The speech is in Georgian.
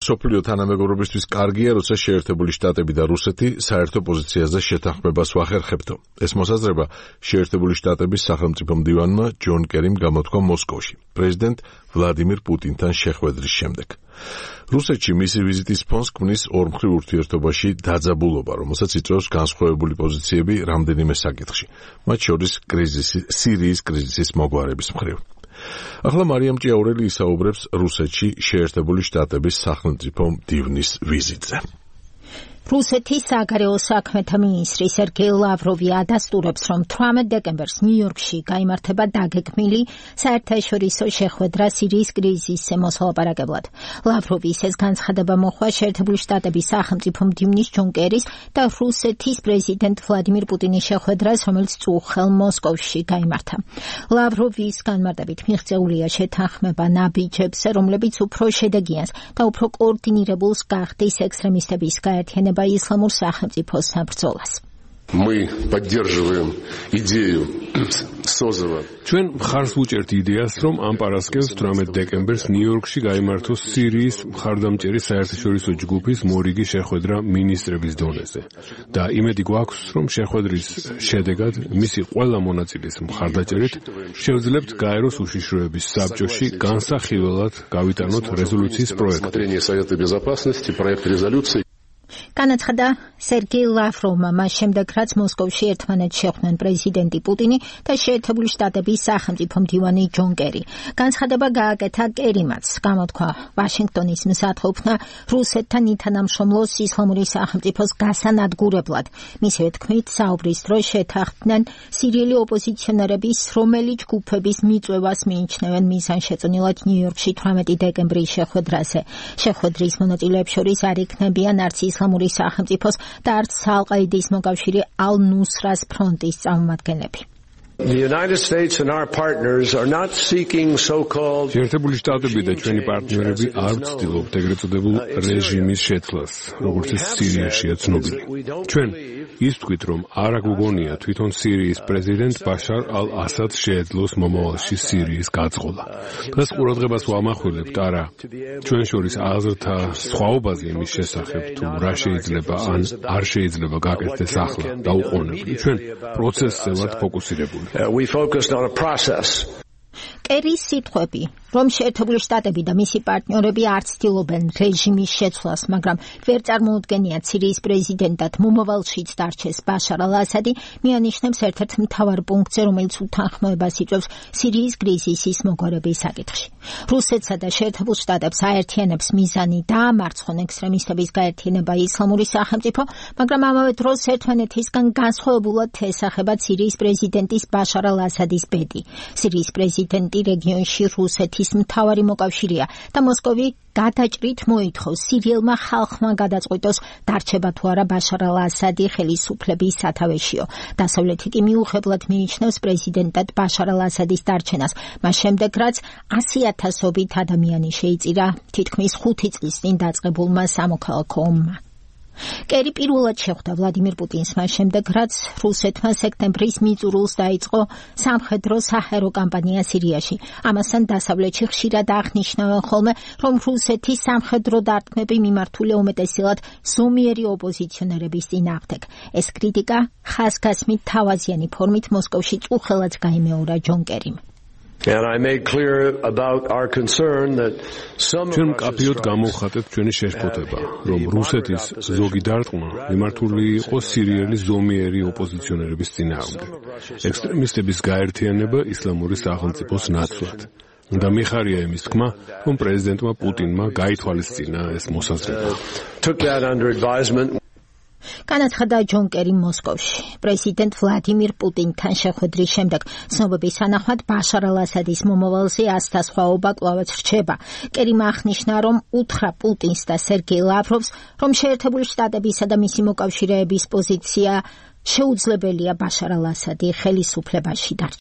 სოფლიო თანამეგობრობისთვის კარგია, როცა შეერთებული შტატები და რუსეთი საერთო პოზიციაზე შეთანხმებას ვახერხებდო. ეს მოსაზრება შეერთებული შტატების სახელმწიფო მდივანმა ჯონ კერიმ გამოთქვა მოსკოვში, პრეზიდენტ ვლადიმირ პუტინთან შეხვედრის შემდეგ. რუსეთში მისი ვიზიტის ფონს ქმნის ორმხრივ ურთიერთობაში დაძაბულობა, რომელსაც იწვევს განსხვავებული პოზიციები რამდენიმე საკითხში, მათ შორის სირიის კრიზისის მოგვარების მხრივ. ახლა მარიამ ჭიაურელი ისაუბრებს რუსეთში შეერთებული შტატების სახელმწიფო მდივნის ვიზიტზე. რუსეთის საგარეო საქმეთა მინისტრი სერგეი ლავროვი ადასტურებს, რომ 18 დეკემბერს ნიუ-იორკში გაიმართება დაგეგმილი საერთაშორისო შეხვედრა სირიის კრიზისზე მოსალაპარაკებლად. ლავროვი ეს განცხადება მოხდა შეერთებული შტატების სახელმწიფო მდივნის ჯონ კერის და რუსეთის პრეზიდენტ ვლადიმირ პუტინის შეხვედრას, რომელიც წუხელ მოსკოვში გაიმართა. ლავროვის განმარტებით მიღწეულია შეთანხმება ნაბიჯებზე, რომლებიც უფრო შედეგიანს და უფრო კოორდინირებულს გახდის ექსტრემისტების გაერთიანება исламურ სახელმწიფოს საბრძოლას. Мы поддерживаем идею созыва. ჩვენ მხარს ვუჭერთ იდეას, რომ ამ პარასკევს 18 დეკემბერს ნიუ-იორკში გაიმართოს სირიის მხარდამჭერი საერთაშორისო ჯგუფის მორიგი შეხვედრა მინისტრების დონეზე. და იმედი გვაქვს, რომ შეხვედრის შედეგად მისი ყველა მონაწილის მხარდაჭერით შევძლებთ გაეროს უშიშროების საბჭოში განსახილველად გავიტანოთ რეზოლუციის პროექტი. განაცხადა სერგეი ლავროვმა მას შემდეგ, რაც მოსკოვში ერთმანეთს შეხვდნენ პრეზიდენტი პუტინი და შეერთებული შტატების სახელმწიფო მდივანი ჯონ კერი. განცხადება გააკეთა კერიმაც, გამოთქვა ვაშინგტონის მსათხოვნა რუსეთთან ითანამშრომლოს ისლამური სახელმწიფოს გასანადგურებლად. მისივე თქმით, საუბრის დროს შეთანხმდნენ სირიელი ოპოზიციონერების, რომელი ჯგუფების მიწვევას მიიჩნევენ მიზანშეწონილად ნიუ-იორკში 18 დეკემბრის შეხვედრაზე. შეხვედრის მონაწილეებს შორის არ იქნებიან არც ისლამური სახელმწიფოს და არც ალ-ყაიდის მოკავშირე ალ-ნუსრას ფრონტის წარმომადგენლები. შეერთებული შტატები და ჩვენი პარტნიორები არ ვცდილობთ ეგრეთ წოდებულ რეჟიმის შეცვლას, როგორც ეს სირიაშია ცნობილი. ჩვენ ის ვთქვით, რომ არ აგვგონია თვითონ სირიის პრეზიდენტ ბაშარ ალ-ასადს შეეძლოს მომავალში სირიის გაწყობა. დღეს ყურადღებას ვამახვილებთ არა ჩვენ შორის აზრთა სხვაობაზე იმის შესახებ, თუ რა შეიძლება ან არ შეიძლება გაკეთდეს ახლა და უყოვნებლივ. ჩვენ პროცესზე ვართ ფოკუსირებული. We focused on a process. კერის სიტყვები, რომ შეერთებული შტატები და მისი პარტნიორები არ ცდილობენ რეჟიმის შეცვლას, მაგრამ ვერ წარმოუდგენიათ სირიის პრეზიდენტად მომავალშიც დარჩეს ბაშარ ალ-ასადი, მიანიშნებს ერთ-ერთ მთავარ პუნქტზე, რომელიც უთანხმოებას იწვევს სირიის კრიზისის მოგვარების საკითხში. რუსეთსა და შეერთებულ შტატებს აერთიანებს მიზანი დაამარცხონ ექსტრემისტების გაერთიანება ისლამური სახელმწიფო, მაგრამ ამავე დროს ერთმანეთისგან განსხვავებულად ესახება სირიის პრეზიდენტის ბაშარ ალ-ასადის ბედი. სირიის პრეზიდენტი რეგიონში რუსეთის მთავარი მოკავშირეა და მოსკოვი გადაჭრით მოითხოვს სირიელმა ხალხმა გადაწყვიტოს დარჩება თუ არა ბაშარ ალ-ასადი ხელისუფლების სათავეშიო. დასავლეთი კი მიუხედავად მიიჩნევს პრეზიდენტად ბაშარ ალ-ასადის დარჩენას, მას შემდეგ რაც 100,000-ობით ადამიანი შეიწირა თითქმის 5 წლის წინ დაწყებულმა სამოქალაქო ომმა. კერი პირველად შეხვდა ვლადიმირ პუტინს მას შემდეგ, რაც რუსეთმა სექტემბრის მიწურულს დაიწყო სამხედრო საჰაერო კამპანია სირიაში. ამასთან დასავლეთში ხშირად აღნიშნავენ ხოლმე, რომ რუსეთის სამხედრო დარტყმები მიმართულია უმეტესად ზომიერი ოპოზიციონერების წინააღმდეგ. ეს კრიტიკა ხაზგასმით თავაზიანი ფორმით მოსკოვში წუხელად გაიმეორა ჯონ კერიმ. And I made clear about our concern that some ჩვენ მკაფიოდ გამოვხატეთ ჩვენი შეშფოთება, რომ რუსეთის ზოგი დარტყმა მიმართული იყო სირიელი ზომიერი ოპოზიციონერების წინააღმდეგ. ექსტრემისტების გაერთიანება ისლამური სახელმწიფოს ნაცვლად. და მიხარია იმის თქმა, რომ პრეზიდენტმა პუტინმა გაითვალისწინა ეს მოსაზრება. Took that under advisement. განაცხადა ჯონ კერი მოსკოვში. პრეზიდენტ ვლადიმირ პუტინთან შეხვედრის შემდეგ ცნობების თანახმად ბაშარ ალ-ასადის მომავალზე ასთა სხვაობა კვლავაც რჩება. კერიმ აღნიშნა, რომ უთხრა პუტინს და სერგეი ლავროვს, რომ შეერთებული შტატებისა და მისი მოკავშირეების პოზიცია შეუძლებელია ბაშარ ალ-ასადი ხელისუფლებაში დარჩა.